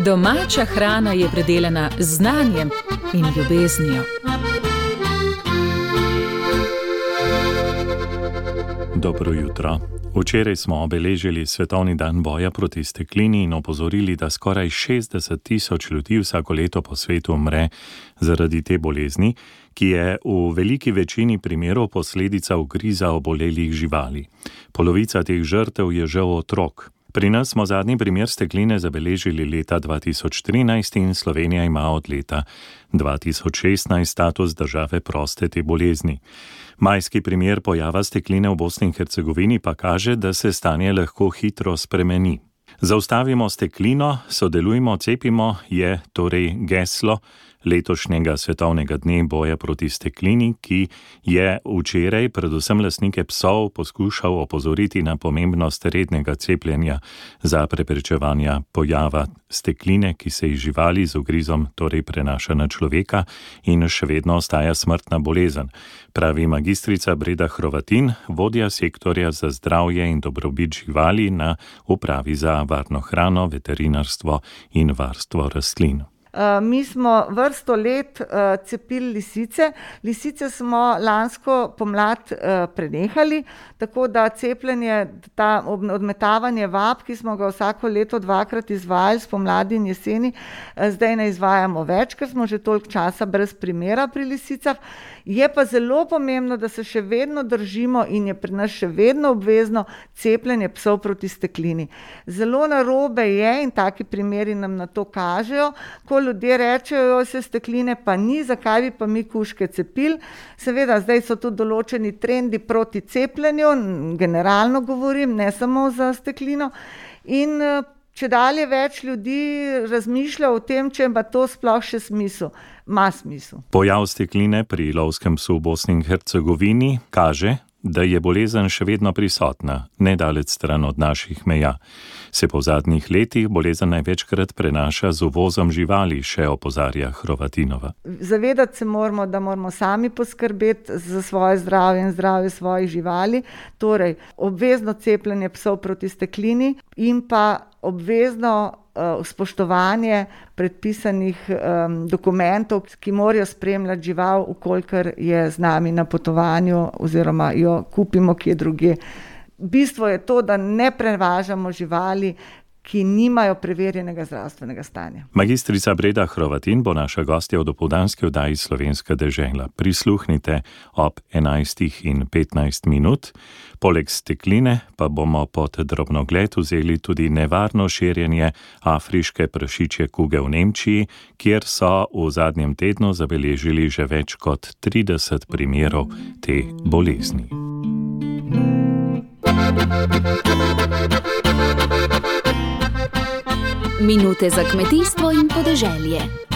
Domača hrana je predelana z znanjem in ljubeznijo. Dobro jutro. Včeraj smo obeležili Svetovni dan boja proti steklini in opozorili, da skoraj 60.000 ljudi vsako leto po svetu umre zaradi te bolezni, ki je v veliki večini primerov posledica ugriza obolelih živali. Polovica teh žrtev je žal otrok. Pri nas smo zadnji primer stekline zabeležili leta 2013 in Slovenija ima od leta 2016 status države proste te bolezni. Majski primer pojava stekline v Bosni in Hercegovini pa kaže, da se stanje lahko hitro spremeni. Zaustavimo steklino, sodelujmo, cepimo je torej geslo letošnjega svetovnega dne boja proti steklini, ki je včeraj predvsem lastnike psov poskušal opozoriti na pomembnost rednega cepljenja za preprečevanje pojava stekline, ki se iz živali z ugrizom torej prenaša na človeka in še vedno ostaja smrtna bolezen, pravi magistrica Breda Hrovatin, vodja sektorja za zdravje in dobrobit živali na Upravi za varno hrano, veterinarstvo in varstvo rastlin. Mi smo vrsto let cepili lisice. Lisice smo lansko pomlad prenehali, tako da cepljenje, odmetavanje vab, ki smo ga vsako leto dvakrat izvajali, spomladi in jeseni, zdaj ne izvajamo več, ker smo že toliko časa brez primera pri lisicah. Je pa zelo pomembno, da se še vedno držimo in je pri nas še vedno obvezno cepljenje psov proti steklini. Zelo narobe je, in taki primeri nam na to kažejo, ko ljudje rečejo, se stekline pa ni, zakaj bi pa mi kužke cepili. Seveda, zdaj so tudi določeni trendi proti cepljenju, generalno govorim, ne samo za steklino. In čedalje več ljudi razmišlja o tem, če ima to sploh še smisel. Ma smisel. Pojav stekline pri lovskem psu v Bosni in Hercegovini kaže, da je bolezen še vedno prisotna, nedaleč stran od naših meja. Se po zadnjih letih bolezen največkrat prenaša z uvozom živali, še opozarja Hrovatinova. Zavedati se moramo, da moramo sami poskrbeti za svoje zdravje in zdravje svojih živali, torej obvezno cepljenje psov proti steklini in pa obvezno spoštovanje predpisanih dokumentov, ki morajo spremljati žival, ukolikor je z nami na potovanju oziroma jo kupimo kje drugje. Bistvo je to, da ne prevažamo živali, ki nimajo preverjenega zdravstvenega stanja. Magistrica Breda Hrovatin bo naša gostja v dopoldanski oddaji Slovenska dežela. Prisluhnite ob 11:15. Poleg stekline pa bomo pod drobnogled vzeli tudi nevarno širjenje afriške prašičje kuge v Nemčiji, kjer so v zadnjem tednu zabeležili že več kot 30 primerov te bolezni. Minute za kmetijstvo in podeželje.